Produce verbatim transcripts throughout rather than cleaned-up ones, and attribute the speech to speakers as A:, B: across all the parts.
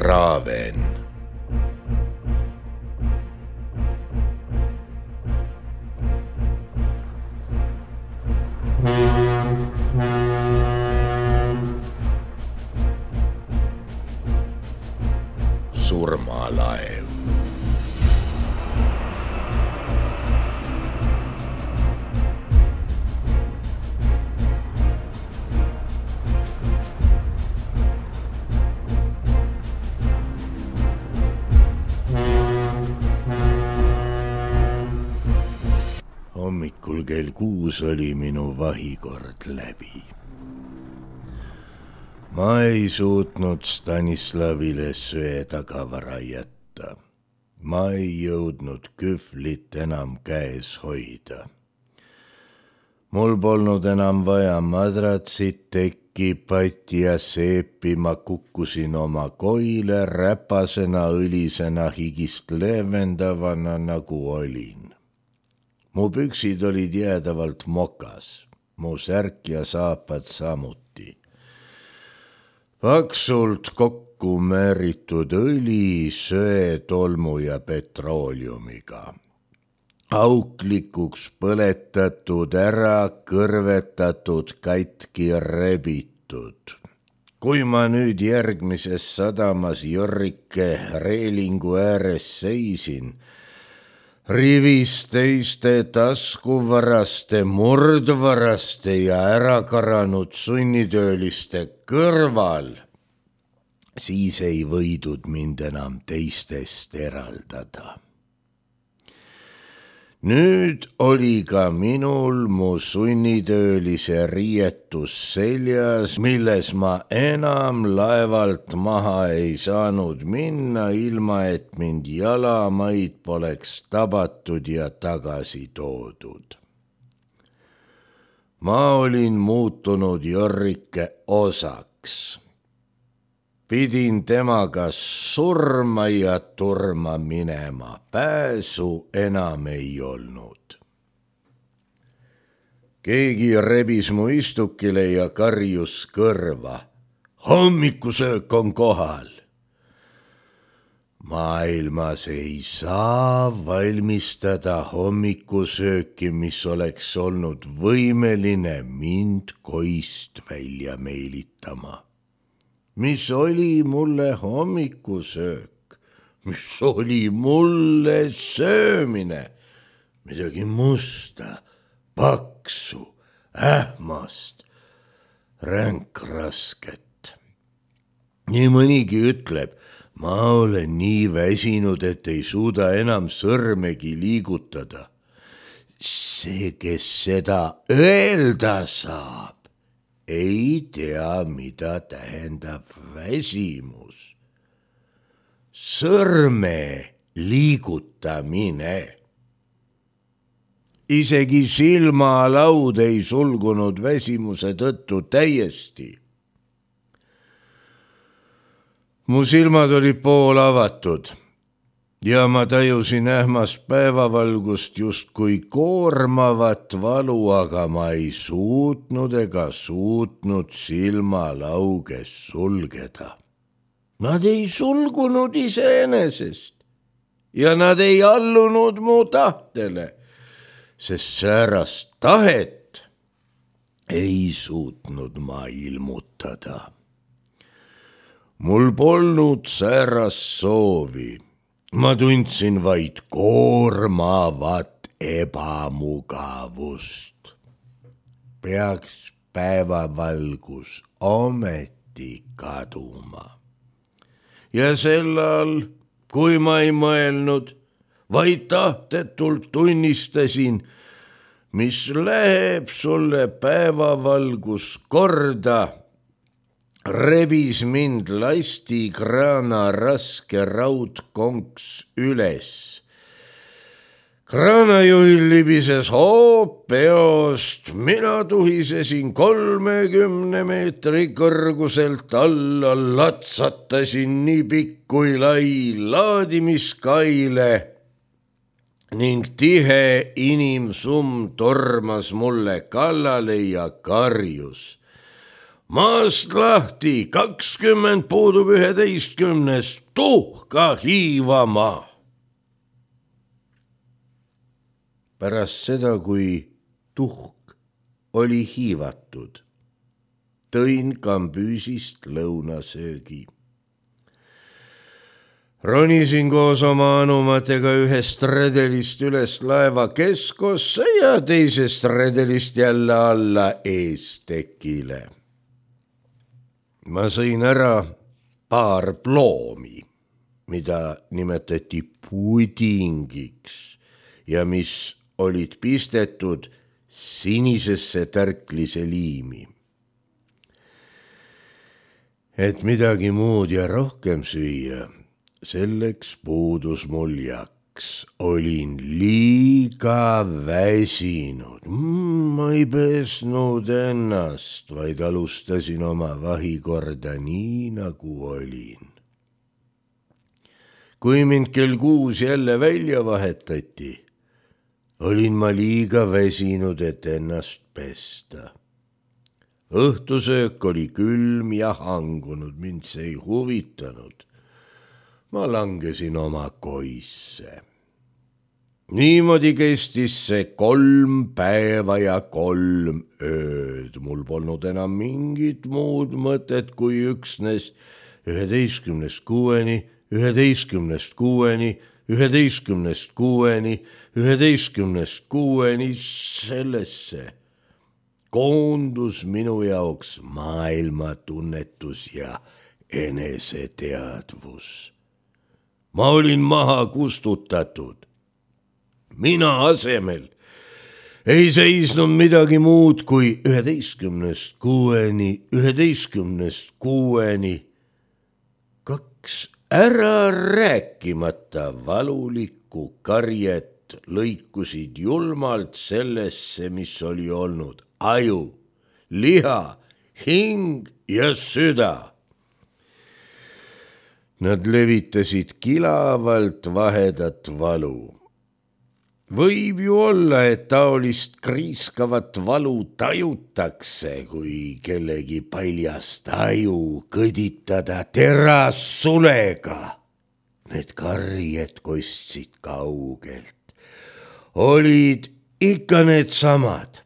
A: Traaven. Surmalaev. Hommikul kell kuus oli minu vahikord läbi. Ma ei suutnud Stanislavile söe tagavara jätta. Ma ei jõudnud kühvlit enam käes hoida. Mul polnud enam vaja madratsit, tekki, patti ja seepi, ma kukkusin oma koile räpasena, õlisena, higist leevendavana nagu olin. Mu püksid olid jäädavalt mokas, mu särk ja saapad samuti. Paksult kokku määritud õli, söe, tolmu ja petrooliumiga. Auklikuks põletatud, ära kõrvetatud, katki rebitud. Kui ma nüüd järgmises sadamas Jorrike reelingu ääres seisin, rivis teiste taskuvaraste, murdvaraste ja ärakaranud sunnitööliste kõrval, siis ei võidud mind enam teistest eraldada. Nüüd oli ka minul mu sunnitöölise riietus seljas, milles ma enam laevalt maha ei saanud minna, ilma et mind jalamaid poleks tabatud ja tagasi toodud. Ma olin muutunud Jorrike osaks. Pidin temaga surma ja turma minema, pääsu enam ei olnud. Keegi rebis mu istukile ja karjus kõrva. Hommikusöök on kohal. Maailmas ei saa valmistada hommikusööki, mis oleks olnud võimeline mind koist välja meelitama. Mis oli mulle hommikusöök, mis oli mulle söömine, midagi musta, paksu, ähmast, ränkrasket. Nii mõnigi ütleb, ma olen nii väsinud, et ei suuda enam sõrmegi liigutada. See, kes seda öelda saab, ei tea, mida tähendab väsimus. Sõrme liigutamine. Isegi silmalaud ei sulgunud väsimuse tõttu täiesti. Mu silmad olid pool avatud ja ma tajusin ähmast päevavalgust justkui koormavat valu, aga ma ei suutnud ega suutnud silmalauges sulgeda. Nad ei sulgunud iseenesest ja nad ei allunud mu tahtele, sest säärast tahet ei suutnud ma ilmutada. Mul polnud säärast soovi. Ma tundsin vaid koormavat ebamugavust. Peaks päevavalgus ometi kaduma. Ja sellal, kui ma ei mõelnud, vaid tahtetult tunnistasin, mis läheb sulle päevavalgus korda, rebis mind lastikraana raske raudkonks üles. Kraanajuhil libises hoop peost, mina tuhisesin kolmekümne meetri kõrguselt alla, latsatasin nii pikk kui lai laadimiskaile ning tihe inimsumm tormas mulle kallale ja karjus. maast lahti, kakskümmend puudub üheteistkümnest, tuhka hiivama. Pärast seda, kui tuhk oli hiivatud, tõin kambüüsist lõunasöögi. Ronisin koos oma anumatega ühest redelist üles laeva keskosse ja teisest redelist jälle alla eestekile. Ma sõin ära paar ploomi, mida nimetati pudingiks ja mis olid pistetud sinisesse tärklise liimi. Et midagi muud ja rohkem süüa, selleks puudus mul jaks. Olin liiga väsinud. Ma ei pesnud ennast, vaid alustasin oma vahikorda nii, nagu olin. Kui mind kell kuus jälle välja vahetati, olin ma liiga väsinud, et ennast pesta. Õhtusöök oli külm ja hangunud, mind see ei huvitanud. Ma langesin oma koisse. Niimoodi kestis see kolm päeva ja kolm ööd. Mul polnud enam mingit muud mõtet kui üksnes üheteistkümnest kuueni, üheteistkümnest kuueni, üheteistkümnest kuueni, üheteistkümnest kuueni sellesse koondus minu jaoks maailmatunnetus ja eneseteadvus. Ma olin maha kustutatud. Mina asemel ei seisnud midagi muud kui üheteistkümnest kuueni, üheteistkümnest kuueni. Kaks ära rääkimata valulikku karjet lõikusid julmalt sellesse, mis oli olnud aju, liha, hing ja süda. Nad levitasid kilavalt vahedat valu. Võib ju olla, et taolist kriiskavat valu tajutakse, kui kellegi paljast aju kõditada terassulega. Need karjed kostsid kaugelt. Olid ikka need samad,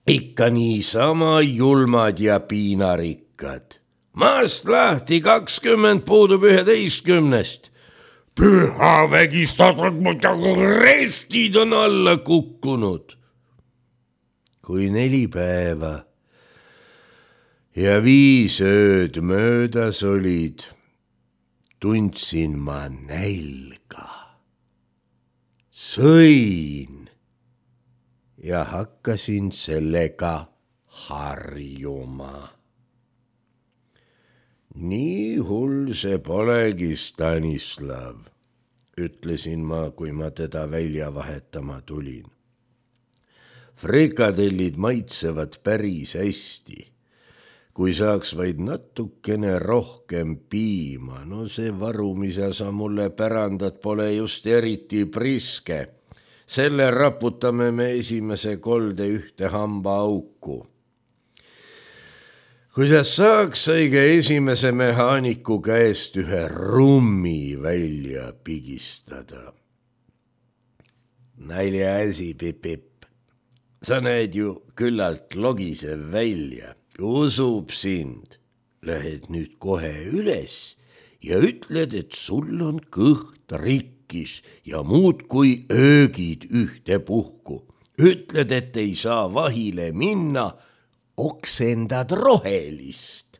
A: ikka niisama julmad ja piinarikkad. Maast lahti, kakskümmend puudub üheteistkümnest. Püha vägistatud, muidugi restid on alla kukkunud. Kui neli päeva ja viis ööd möödas olid, tundsin ma nälga. Sõin ja hakkasin sellega harjuma. Nii hull see polegi, Stanislav, ütlesin ma, kui ma teda välja vahetama tulin. Frikadellid maitsevad päris hästi. Kui saaks vaid natukene rohkem piima, no see varu, mida sa mulle pärandad, pole just eriti priske. Selle raputame me esimese kolde ühte hamba auku. Kuidas saaks õige esimese mehaaniku käest ühe rummi välja pigistada? Nalja asi, Pip-Pip. Sa näed ju küllalt logisev välja. Usub sind. Lähed nüüd kohe üles ja ütled, et sul on kõht rikkis ja muud kui öögid ühte puhku. Ütled, et ei saa vahile minna, oksendad rohelist.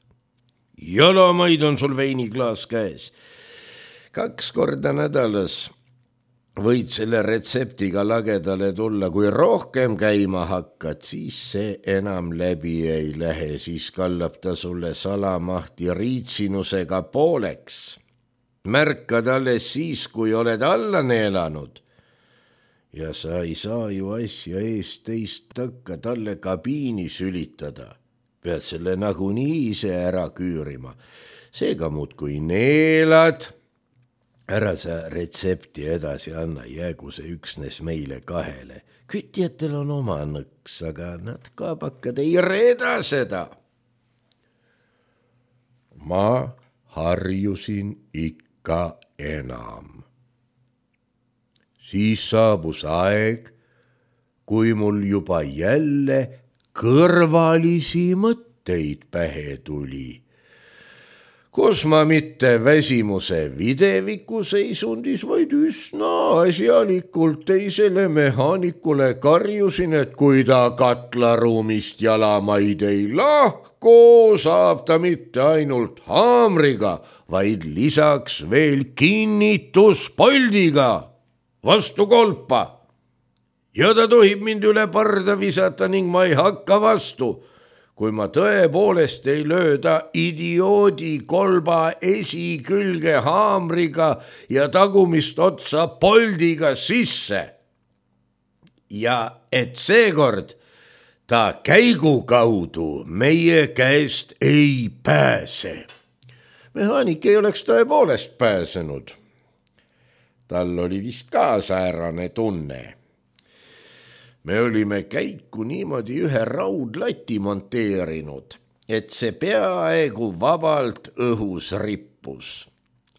A: Jalamaid on sul veiniklaas käes. Kaks korda nädalas võid selle retseptiga lagedale tulla. Kui rohkem käima hakkad, siis see enam läbi ei lähe. Siis kallab ta sulle salamahti riitsinusega pooleks. Märkad alles siis, kui oled alla neelanud. Ja sa ei saa ju asja eest teist takka talle kabiini sülitada. Pead selle nagunii ise ära küürima. Seega muud kui neelad. Ära sa retsepti edasi anna, jäägu see üksnes meile kahele. Kütjatel on oma nõks, aga nad kaabakad ei reeda seda. ma harjusin ikka enam. Siis saabus aeg, kui mul juba jälle kõrvalisi mõtteid pähe tuli. Kus ma mitte väsimuse videviku seisundis, vaid üsna asjalikult teisele mehaanikule karjusin, et kui ta katlaruumist jalamaid ei lahku, saab ta mitte ainult haamriga, vaid lisaks veel kinnituspoldiga vastu kolpa. Ja ta tohib mind üle parda visata ning ma ei hakka vastu, kui ma tõepoolest ei lööda idioodi kolba esikülge haamriga ja tagumist otsa poldiga sisse. Ja et seekord ta käigu kaudu meie käest ei pääse. Mehaanik ei oleks tõepoolest pääsenud. Tal oli vist ka säärane tunne. Me olime käiku niimoodi ühe raudlati monteerinud, et see peaaegu vabalt õhus rippus.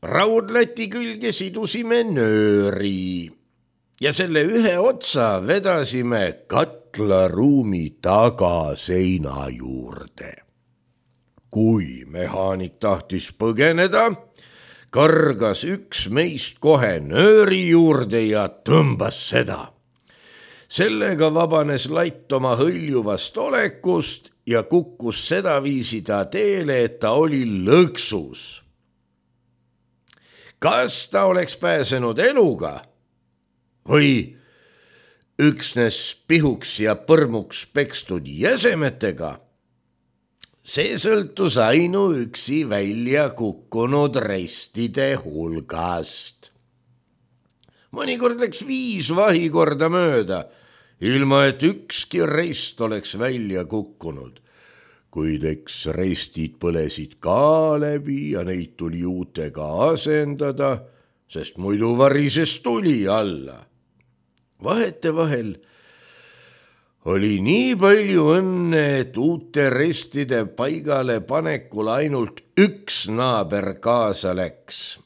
A: Raudlati külge sidusime nööri ja selle ühe otsa vedasime katlaruumi tagaseina juurde. Kui mehaanik tahtis põgeneda, kargas üks meist kohe nööri juurde ja tõmbas seda. Sellega vabanes latt oma hõljuvast olekust ja kukkus sedaviisi ta teele, et ta oli lõksus. Kas ta oleks pääsenud eluga või üksnes pihuks ja põrmuks pekstud jäsemetega? See sõltus ainuüksi välja kukkunud restide hulgast. Mõnikord läks viis vahikorda mööda, ilma et ükski rest oleks välja kukkunud. Kuid eks restid põlesid ka läbi ja neid tuli uutega asendada, sest muidu varises tuli alla. Vahetevahel oli nii palju õnne, et uute restide paigale panekul ainult üks naaber kaasa läks.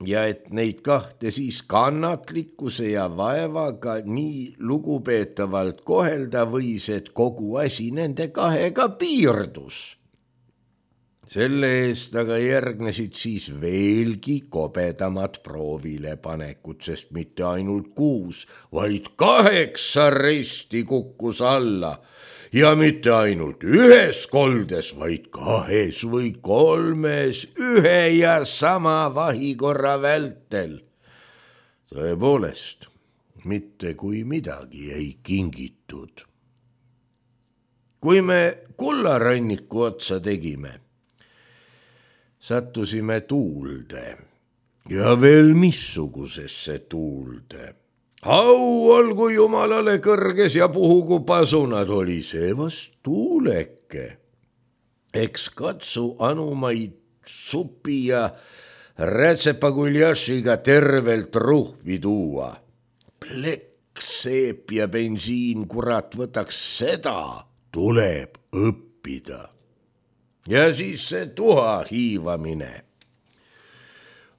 A: Ja et neid kahte siis kannatlikkuse ja vaevaga nii lugupeetavalt kohelda võis, et kogu asi nende kahega piirdus. Selle eest aga järgnesid siis veelgi kobedamad proovile panekud, sest mitte ainult kuus, vaid kaheksa resti kukkus alla. Ja mitte ainult ühes koldes, vaid kahes või kolmes ühe ja sama vahikorra vältel. Tõepoolest, mitte kui midagi ei kingitud. Kui me kullaranniku otsa tegime, sattusime tuulde ja veel missugusesse tuulde. Au olgu jumalale kõrges ja puhugu pasunad, oli see vast tuuleke. Eks katsu anumaid supi ja rätsepaguljašiga tervelt ruhvi tuua. Plekk, seep ja bensiin, kurat, võtaks seda, tuleb õppida. Ja siis see tuha hiivamine.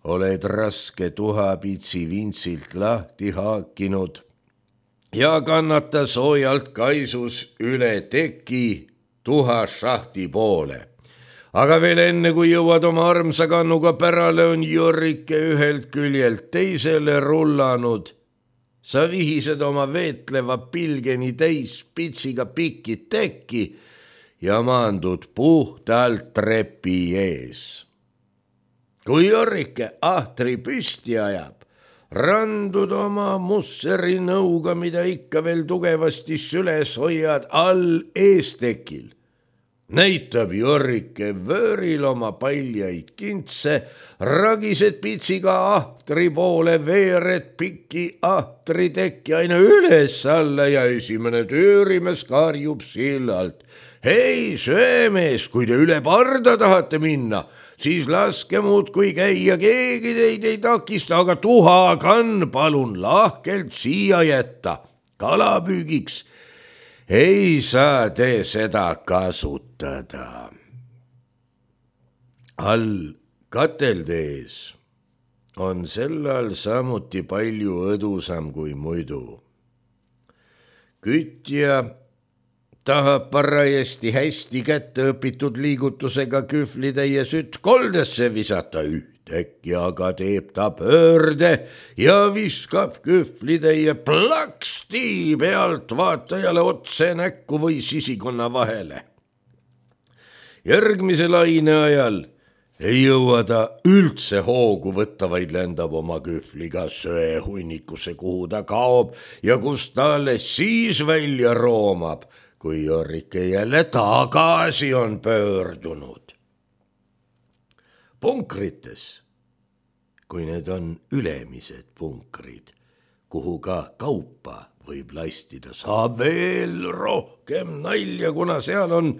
A: Oled raske tuhapitsi vintsilt lahti haakinud ja kannata soojalt kaisus üle teki tuha šahti poole. Aga veel enne, kui jõuad oma armsa kannuga pärale, on Jorrike ühelt küljelt teisele rullanud. Sa vihised oma veetleva pilgeni täis pitsiga pikki tekki ja maandud puhtalt trepi ees. Kui Jorrike ahtri püsti ajab, randud oma musseri nõuga, mida ikka veel tugevasti süles hoiad, all eestekil. Näitab Jorrike vööril oma paljaid kintse, ragised pitsiga ahtri poole, veered piki ahtri tekki aina üles alla ja esimene töörimes karjub sillalt. Hei, söömees, kui te üle parda tahate minna, siis laske muud kui käia, keegi teid ei takista, aga tuhakann palun lahkelt siia jätta. Kalapüügiks ei saa te seda kasutada. all katelde ees on sellal samuti palju õdusam kui muidu. Kütja tahab parajasti hästi kätte õpitud liigutusega kühvlitäie sütt koldesse visata, ühtäkki aga teeb ta pöörde ja viskab kühvlitäie plaksti pealt vaatajale otse näkku või sisikonna vahele. Järgmise laine ajal ei jõua ta üldse hoogu võtta, vaid lendab oma kühvliga söehunnikusse, kuhu ta kaob ja kus ta alles siis välja roomab, kui Jorrike jälle tagasi on pöördunud. Punkrites, kui need on ülemised punkrid, kuhu ka kaupa võib lastida, saab veel rohkem nalja, kuna seal on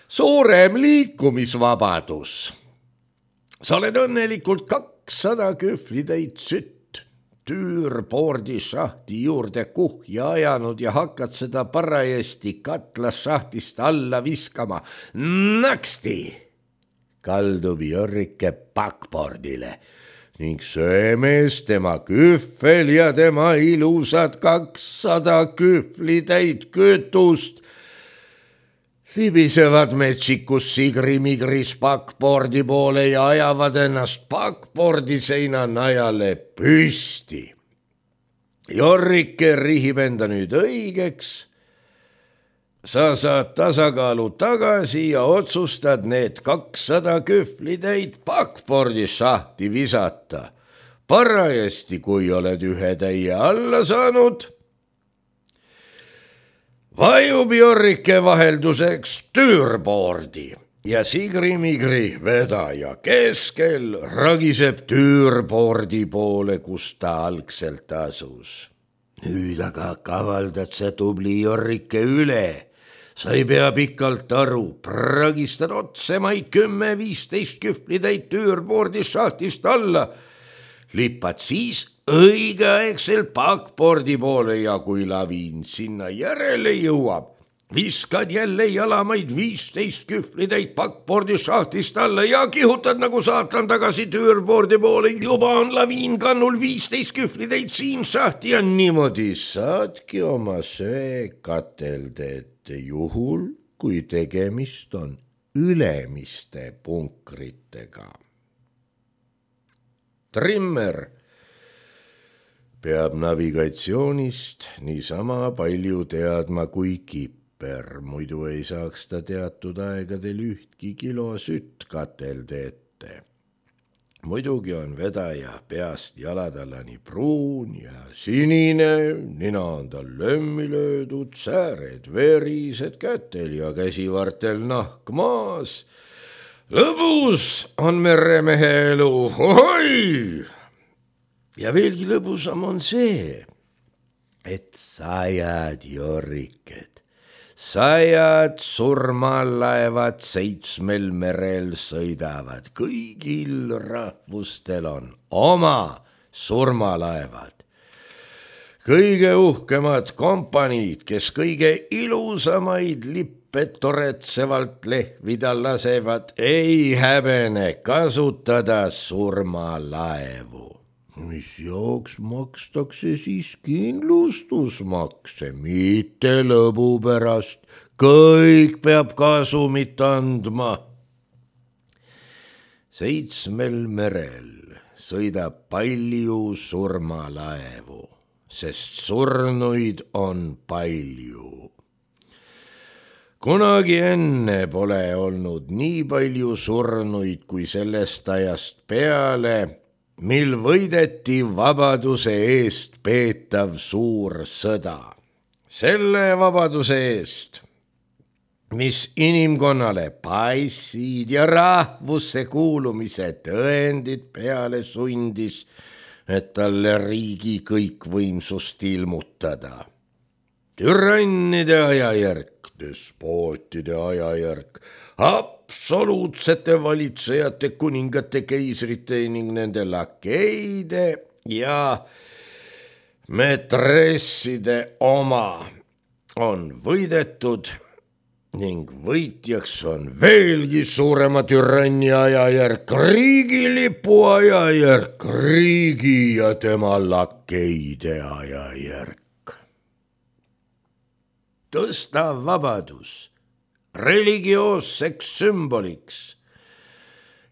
A: suurem liikumisvabadus. Sa oled õnnelikult kakssada kühvlitäit sütt tüürboordi šahti juurde kuhja ajanud ja hakkad seda parajasti katlas šahtist alla viskama. Naksti kaldub Jorrike backboardile ning söömees, tema kühvel ja tema ilusad kakssada kühvlitäit kütust libisevad metsikus sigrimigris backboardi poole ja ajavad ennast backboardi seina najale püsti. Jorrike rihib enda nüüd õigeks. Sa saad tasakaalu tagasi ja otsustad need kakssada kühvlitäit backboardi šahti visata. Parajasti, kui oled ühe täie alla saanud, vajub Jorrike vahelduseks tüürboordi ja sigrimigri vedaja keskel ragiseb tüürboordi poole, kus ta algselt asus. Nüüd aga kavaldad sa tubli Jorrike üle. Sa ei pea pikalt aru, pragistad otsemaid kümme viisteist kühvlitäit tüürboordi šahtist alla, lipad siis õigeaegselt backboardi poole ja kui laviin sinna järele jõuab, viskad jälle jalamaid viisteist kühvlitäit backboardi šahtist alla ja kihutad nagu saatan tagasi tüürboordi poole. Juba on laviin kannul viisteist kühvlitäit siin šahti ja niimoodi saadki oma söe katelde ette juhul, kui tegemist on ülemiste punkritega. Trimmer peab navigatsioonist niisama palju teadma kui kipper, muidu ei saaks ta teatud aegadel ühtki kilo sütt katelde ette. Muidugi on vedaja peast jalatallani pruun ja sinine, nina on tal lömmi löödud, sääred verised, kätel ja käsivartel nahk maas. Lõbus on meremehe elu, ohoi! Ja veelgi lõbusam on see, et sajad Jorriked, sajad surmalaevad seitsmel merel sõidavad. Kõigil rahvustel on oma surmalaevad. Kõige uhkemad kompaniid, kes kõige ilusamaid lippe toretsevalt lehvida lasevad, ei häbene kasutada surmalaevu. Mis jaoks makstakse siis kindlustusmakse, mitte lõbu pärast, kõik peab kasumit andma. Seitsmel merel sõidab palju surmalaevu, sest surnuid on palju. Kunagi enne pole olnud nii palju surnuid kui sellest ajast peale, mil võideti vabaduse eest peetav suur sõda. Selle vabaduse eest, mis inimkonnale passid ja rahvusse kuulumise tõendid peale sundis, et talle riigi kõikvõimsust ilmutada. Türannide ajajärk, despootide ajajärk, absoluutsete valitsejate, kuningate, keisrite ning nende lakeide ja metresside oma on võidetud ning võitjaks on veelgi suurema türanni ajajärk, riigilipu ajajärk, riigi ja tema lakeide ajajärk. Tõsta vabadus religioosseks sümboliks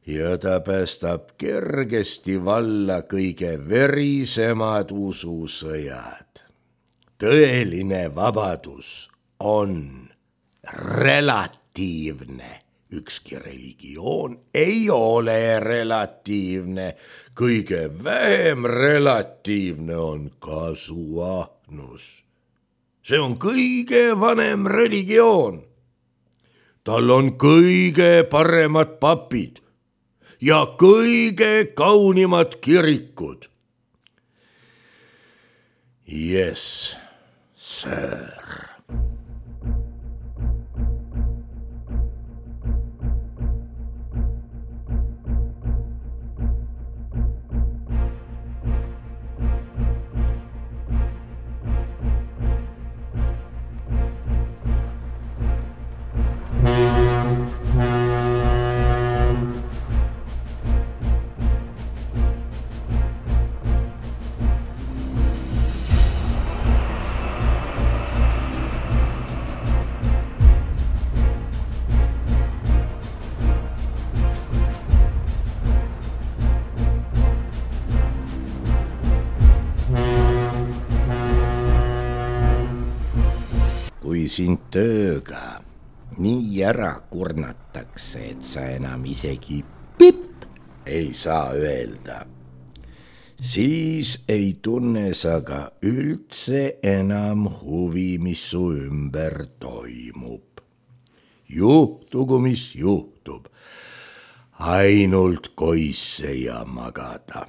A: ja ta päästab kergesti valla kõige verisemad ususõjad. Tõeline vabadus on relatiivne. Ükski religioon ei ole relatiivne. Kõige vähem relatiivne on kasuahnus. See on kõige vanem religioon. Tal on kõige paremad papid ja kõige kaunimad kirikud. Yes, sir. Kui sind tööga nii ära kurnatakse, et sa enam isegi pipp ei saa öelda, siis ei tunne sa ka üldse enam huvi, mis su ümber toimub. Juhtugu, mis juhtub, ainult koisse ja magada.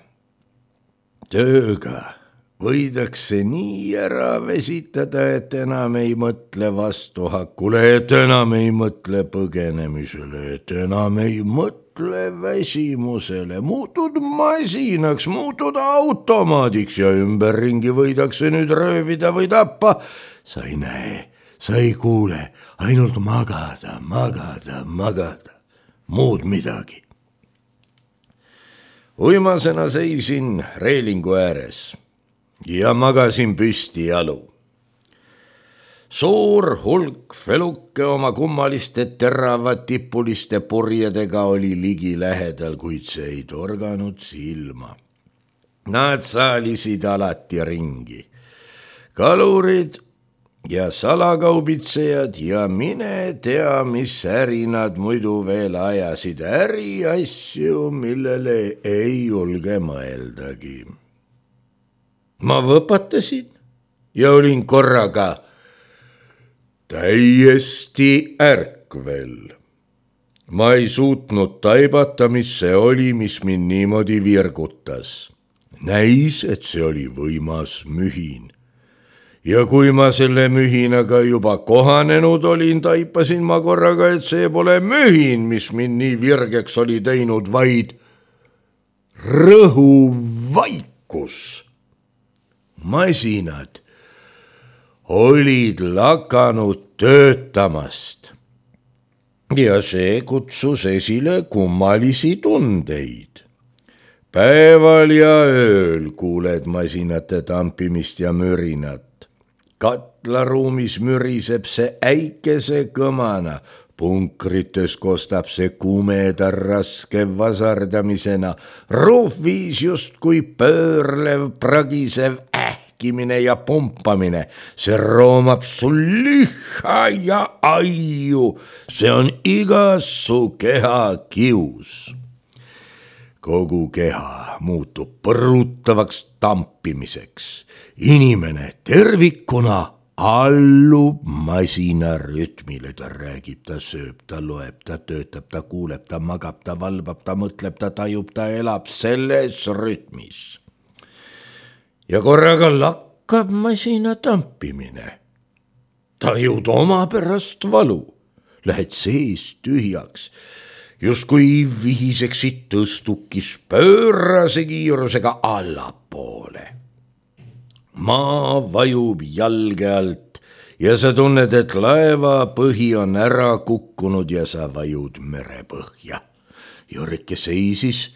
A: Tööga võidakse nii ära vesitada, et enam ei mõtle vastuhakule, et enam ei mõtle põgenemisele, et enam ei mõtle väsimusele. Muutud masinaks, muutud automaadiks ja ümberringi võidakse nüüd röövida või tappa. Sa ei näe, sa ei kuule, ainult magada, magada, magada, muud midagi. Uimasena seisin reelingu ääres ja magasin püsti jalu. Suur hulk feluke oma kummaliste teravad tipuliste purjedega oli ligi lähedal, kuid see ei torganud silma. Nad saalisid alati ringi. Kalurid ja salakaubitsejad ja mine tea, mis äri nad muidu veel ajasid, äriasju, millele ei julge mõeldagi. Ma võpatasin ja olin korraga täiesti ärkvel. Ma ei suutnud taibata, mis see oli, mis mind niimoodi virgutas. Näis, et see oli võimas mühin. Ja kui ma selle mühinaga juba kohanenud olin, taipasin ma korraga, et see pole mühin, mis mind nii virgeks oli teinud, vaid rõhuvaikus. Masinad olid lakanud töötamast ja see kutsus esile kummalisi tundeid. Päeval ja ööl kuuled masinate tampimist ja mürinat. Katlaruumis müriseb see äikese kõmana, punkrites kostab see kumeda raske vasardamisena, ruufviis justkui pöörlev, pragisev ähkimine ja pumpamine. See roomab sul liha ja aiu, see on iga su keha kius. Kogu keha muutub põrutavaks tampimiseks. Inimene tervikuna allub masina rütmile, ta räägib, ta sööb, ta loeb, ta töötab, ta kuuleb, ta magab, ta valvab, ta mõtleb, ta tajub, ta elab selles rütmis. Ja korraga lakkab masina tampimine. Tajud oma pärast valu, lähed sees tühjaks, justkui vihiseksid tõstukis pöörase kiirusega allapoole. Maa vajub jalge alt ja sa tunned, et laeva põhi on ära kukkunud ja sa vajud merepõhja. Jorrike seisis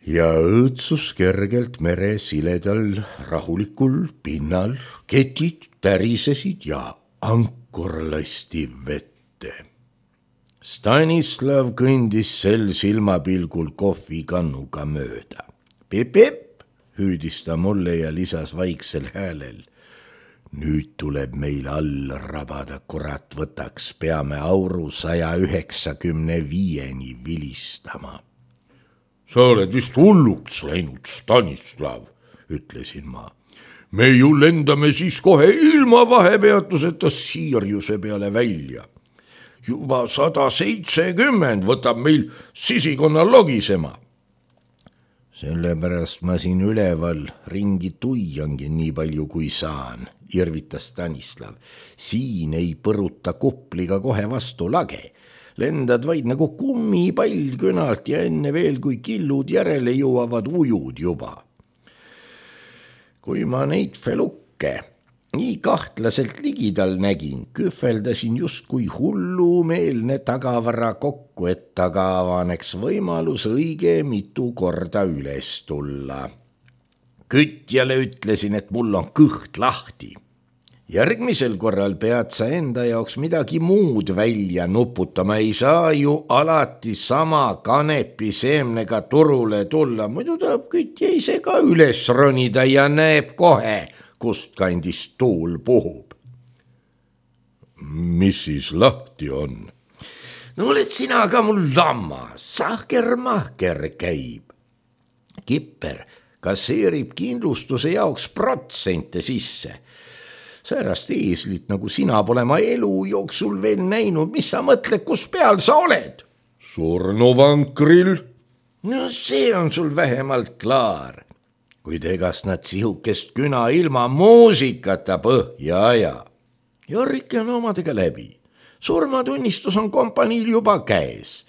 A: ja õõtsus kergelt mere siledal rahulikul pinnal, ketid tärisesid ja ankur lasti vette. Stanislav kõndis sel silmapilgul kohvikannuga mööda. Pip-pip, hüüdis ta mulle ja lisas vaiksel häälel. Nüüd tuleb meil all rabada, kurat võtaks, peame auru saja üheksakümne viieni vilistama. Sa oled vist hulluks läinud, Stanislav, ütlesin ma. Me ju lendame siis kohe ilma vahepeatuseta Siirjuse peale välja. Juba sada seitsekümmend võtab meil sisikonna logisema. Sellepärast ma siin üleval ringi tuiangi nii palju kui saan, irvitas Stanislav. Siin ei põruta kupliga kohe vastu lage. Lendad vaid nagu kummipall künalt ja enne veel, kui killud järele jõuavad, ujud juba. Kui ma neid felukke nii kahtlaselt ligidal nägin, kühveldasin justkui hullumeelne tagavara kokku, et taga avaneks võimalus õige mitu korda üles tulla. Kütjale ütlesin, et mul on kõht lahti. Järgmisel korral pead sa enda jaoks midagi muud välja nuputama, ei saa ju alati sama kanepi seemnega turule tulla, muidu tahab kütja ise ka üles ronida ja näeb kohe, kust kandis tuul puhub. Mis siis lahti on? No oled sina ka mul lammas, sahker-mahker käib. Kipper kasseerib kindlustuse jaoks protsente sisse. Säärast eeslit, nagu sina pole ma elu jooksul veel näinud, mis sa mõtled, kus peal sa oled? Surnuvankril? No see on sul vähemalt klaar. Kuid egast nad sihukest küna ilma muusikata põhja aja. Jorrike on omadega läbi. Surmatunnistus on kompaniil juba käes.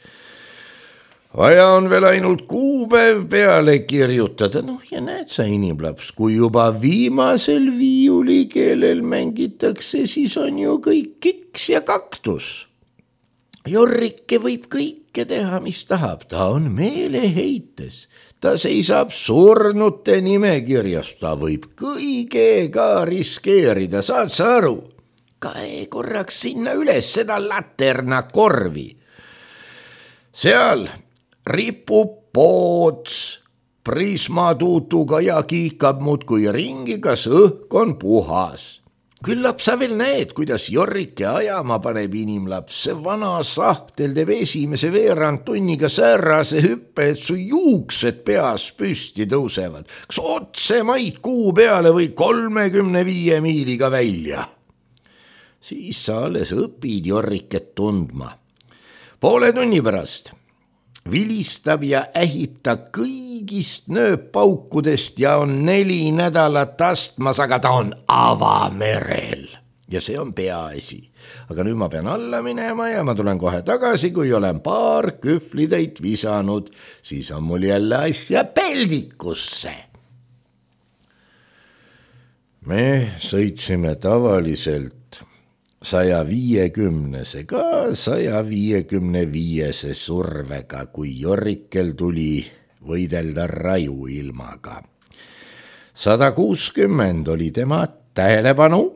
A: Vaja on veel ainult kuupäev peale kirjutada. Noh ja näed sa, inimlaps, kui juba viimasel viiulikeelel mängitakse, siis on ju kõik kiks ja kaktus. Jorrike võib kõike teha, mis tahab. Ta on meeleheites. Ta seisab surnute nimekirjas. Ta võib kõigega riskeerida, saad sa aru? Kae korraks sinna üles seda laterna korvi. Seal ripub poots prismatuutuga ja kiikab muudkui ringi, kas õhk on puhas. Küllap sa veel näed, kuidas Jorrike ajama paneb inimlaps. See vana sahtel teeb esimese veerand tunniga säärase hüppe, et su juuksed peas püsti tõusevad. Kas otse maid kuu peale või kolmekümne viie miiliga välja? Siis sa alles õpid Jorriket tundma. Poole tunni pärast vilistab ja ähib ta kõigist nööppaukudest ja on neli nädalat astmas, aga ta on avamerel. Ja see on peaasi. Aga nüüd ma pean alla minema ja ma tulen kohe tagasi, kui olen paar kühvlitäit visanud, siis on mul jälle asja peldikusse. Me sõitsime tavaliselt saja viiekümnese ka saja viiekümne viiese survega, kui Jorrikel tuli võidelda raju ilmaga. sada kuuskümmend oli tema tähelepanu,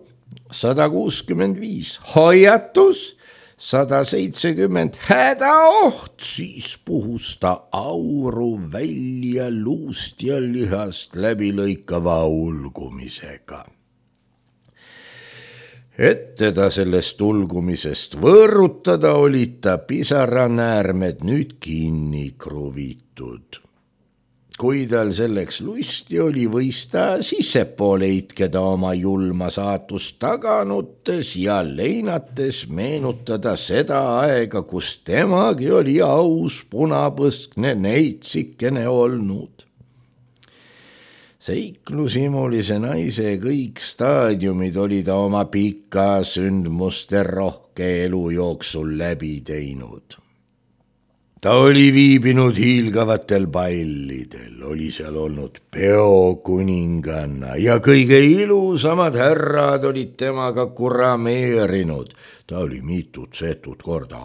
A: sada kuuskümmend viis hoiatus, sada seitsekümmend hädaoht, siis puhus ta auru välja luust ja lihast läbi lõikava ulgumisega. Et teda sellest ulgumisest võõrutada, olid ta pisaranäärmed nüüd kinni kruvitud. Kui tal selleks lusti oli, võis ta sissepoole itkeda oma julma saatust taganutes ja leinates meenutada seda aega, kus temagi oli aus punapõskne neitsikene olnud. Seiklusimulise naise kõik staadiumid oli ta oma pika sündmuste rohke elu jooksul läbi teinud. ta oli viibinud hiilgavatel pallidel, oli seal olnud peokuninganna ja kõige ilusamad härrad olid temaga kurameerinud. Ta oli mitut-setut korda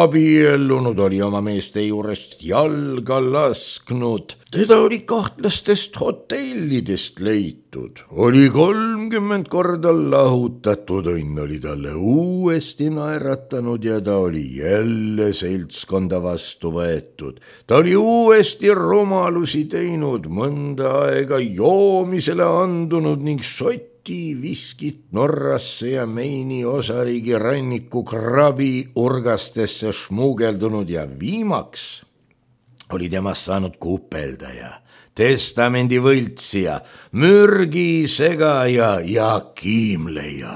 A: abiellunud, oli oma meeste juurest jalga lasknud. Teda oli kahtlastest hotellidest leitud, oli kolmkümmend korda lahutatud, õnn oli talle uuesti naeratanud ja ta oli jälle seltskonda vastu võetud. Ta oli uuesti rumalusi teinud, mõnda aega joomisele andunud ning šoti viskit Norrasse ja Meini osariigi ranniku krabi urgastesse šmugeldunud ja viimaks oli temast saanud kupeldaja, testamendi võltsija, mürgi segaja ja kiimleja.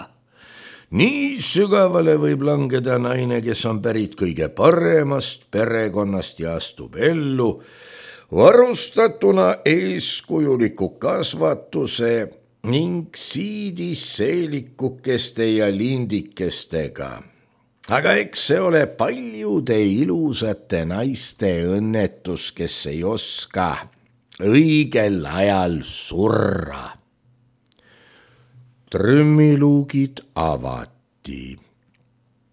A: Nii sügavale võib langeda naine, kes on pärit kõige paremast perekonnast ja astub ellu, varustatuna eeskujuliku kasvatuse ning siidis seelikukeste ja lindikestega. Aga eks see ole paljude ilusate naiste õnnetus, kes ei oska õigel ajal surra. Trümmiluugid avati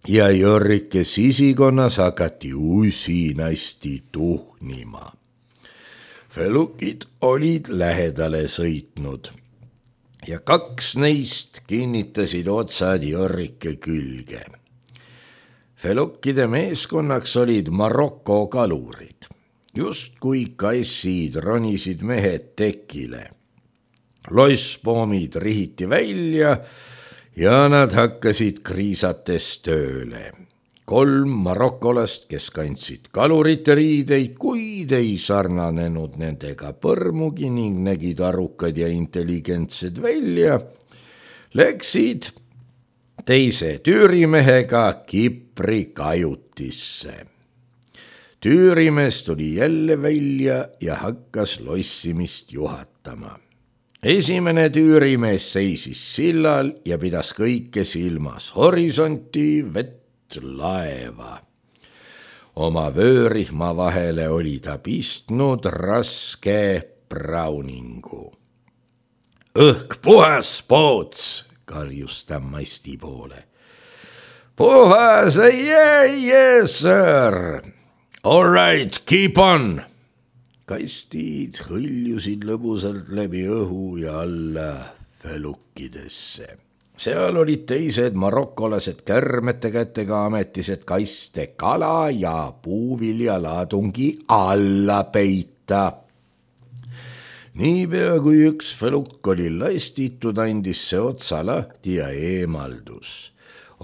A: ja Jorrike sisikonnas hakati usinasti tuhnima. Felukid olid lähedale sõitnud ja kaks neist kinnitasid otsad Jorrike külge. Felukide meeskonnaks olid Maroko kalurid. Justkui kassid ronisid mehed tekile. Loisspoomid rihiti välja ja nad hakkasid kriisates tööle. Kolm marokolast, kes kandsid kalurite riideid, kuid ei sarnanenud nendega põrmugi ning nägid arukad ja intelligentsed välja, läksid teise tüürimehega Kipri kajutisse. Tüürimees tuli jälle välja ja hakkas lossimist juhatama. Esimene tüürimees seisis sillal ja pidas kõike silmas, horisonti, vett, laeva. Oma vöörihma vahele oli ta pistnud raske brauningu. Õhk puhas, Poots, karjus ta masti poole. Puhas, yeah, yes, sir. All right, keep on. Kastid hõljusid lõbusalt läbi õhu ja alla felukidesse. Seal olid teised marokolased kärmete kätega ametised kaste kala ja puuviljalaadungi alla peita. Niipea kui üks feluk oli lastitud, andis see otsa lahti ja eemaldus.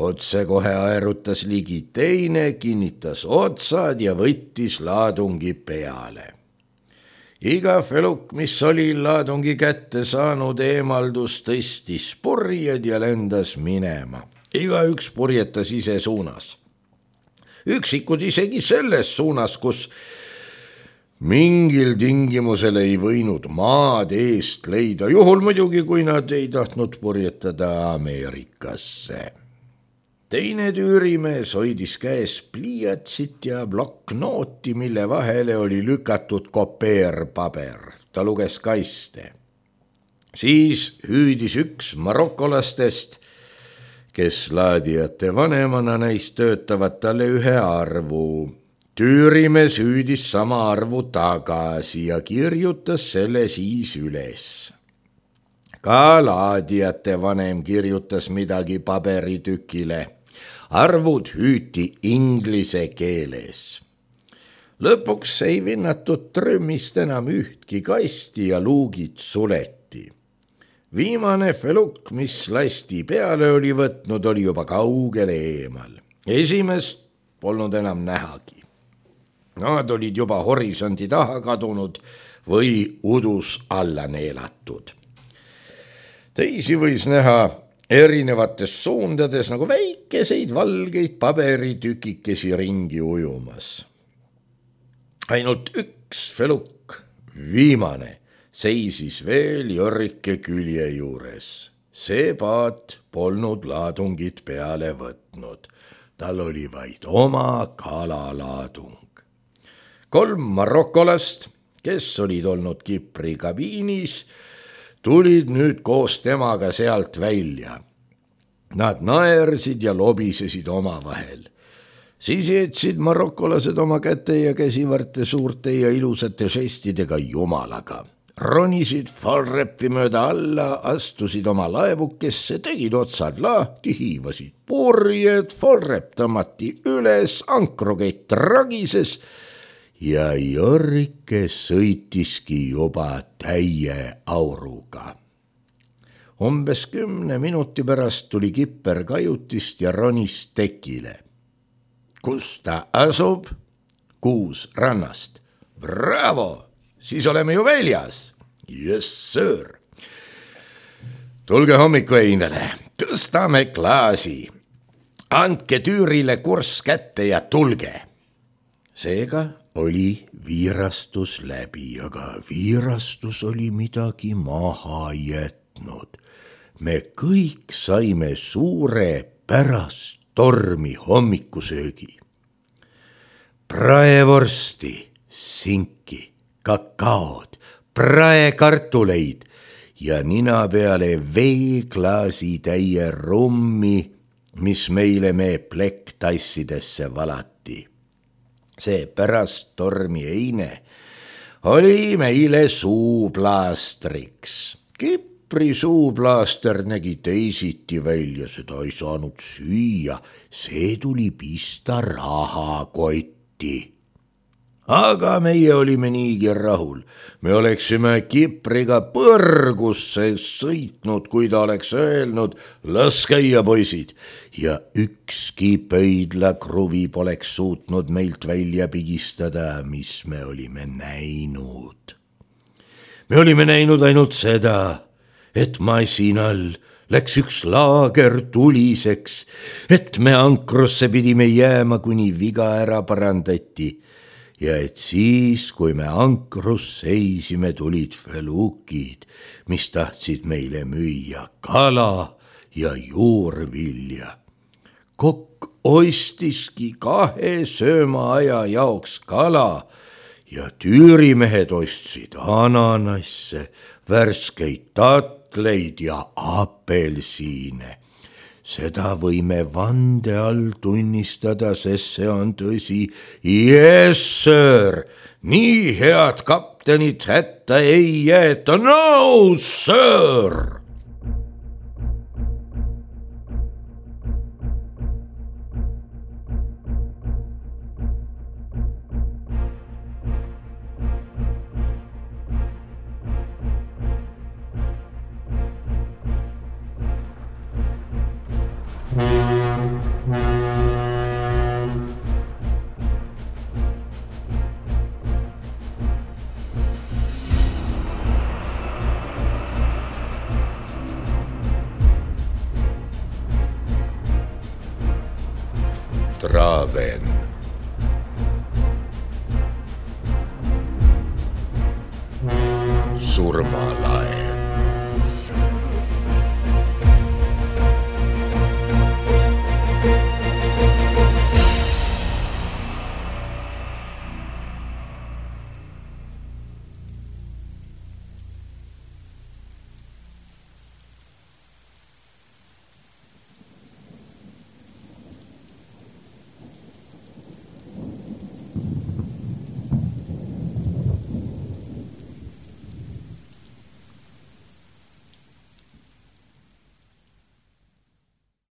A: Otse kohe aerutas ligi teine, kinnitas otsad ja võttis laadungi peale. Iga feluk, mis oli laadungi kätte saanud, eemaldus, tõstis purjed ja lendas minema. Iga üks purjetas ise suunas. Üksikud isegi selles suunas, kus mingil tingimusel ei võinud maad eest leida, juhul muidugi, kui nad ei tahtnud purjetada Ameerikasse. Teine tüürimees hoidis käes pliiatsit ja ploknooti, mille vahele oli lükatud kopeerpaber. Ta luges kaste. Siis hüüdis üks marokolastest, kes laadijate vanemana neist töötavad, talle ühe arvu. Tüürimees hüüdis sama arvu tagasi ja kirjutas selle siis üles. Ka laadijate vanem kirjutas midagi paberitükile. Arvud hüüti inglise keeles. Lõpuks ei vinnatud trümmist enam ühtki kasti ja luugid suleti. Viimane feluk, mis lasti peale oli võtnud, oli juba kaugele eemal. Esimest polnud enam nähagi. Nad olid juba horisondi taha kadunud või udus alla neelatud. Teisi võis näha erinevates suundades nagu väikeseid valgeid paberitükikesi ringi ujumas. Ainult üks feluk, viimane, seisis veel Jorrike külje juures. See paat polnud laadungit peale võtnud. Tal oli vaid oma kalalaadung. kolm marokolast, kes olid olnud Kipri kabiinis, tulid nüüd koos temaga sealt välja. Nad naersid ja lobisesid omavahel. Siis jätsid marokolased oma käte ja käsivarte suurte ja ilusate žestidega jumalaga. Ronisid Fallrepi mööda alla, astusid oma laevukesse, tegid otsad lahti, hiivasid purjed, Fallrep tõmmati üles, ankrukett ragises ja Jorrike sõitiski juba täie auruga. Umbes kümne minuti pärast tuli Kipper kajutist ja ronis tekile. Kus ta asub? Kuus rannast. Bravo! Siis oleme ju väljas. Yes, sir. Tulge hommikueinele, tõstame klaasi. Andke Tüürile kurss kätte ja tulge. Seega oli viirastus läbi, aga viirastus oli midagi maha jätnud. Me kõik saime suure pärast tormi hommikusöögi. Praevorsti, sinki, kakaod, praekartuleid ja nina peale veeklaasi täie rummi, mis meile me plekktassidesse valati. See pärast tormi eine oli meile suuplaastriks. Kipri suuplaaster nägi teisiti välja, seda ei saanud süüa, see tuli pista rahakotti. Aga meie olime niigi rahul. Me oleksime Kipriga põrgusse sõitnud, kui ta oleks öelnud, las käia poisid. Ja ükski pöidlakruvi poleks suutnud meilt välja pigistada, mis me olime näinud. Me olime näinud ainult seda, et masinal läks üks laager tuliseks, et me ankrusse pidime jääma, kuni viga ära parandati. Ja et siis, kui me ankrus seisime, tulid felukid, mis tahtsid meile müüa kala ja juurvilja. Kokk ostiski kahe söömaaja jaoks kala ja tüürimehed ostsid ananasse, värskeid tatleid ja apelsiine. Seda võime vande all tunnistada, sest see on tõsi. Yes, sir! Nii head kaptenit hätta ei jäeta. No, sir! Traven. Surmalaev.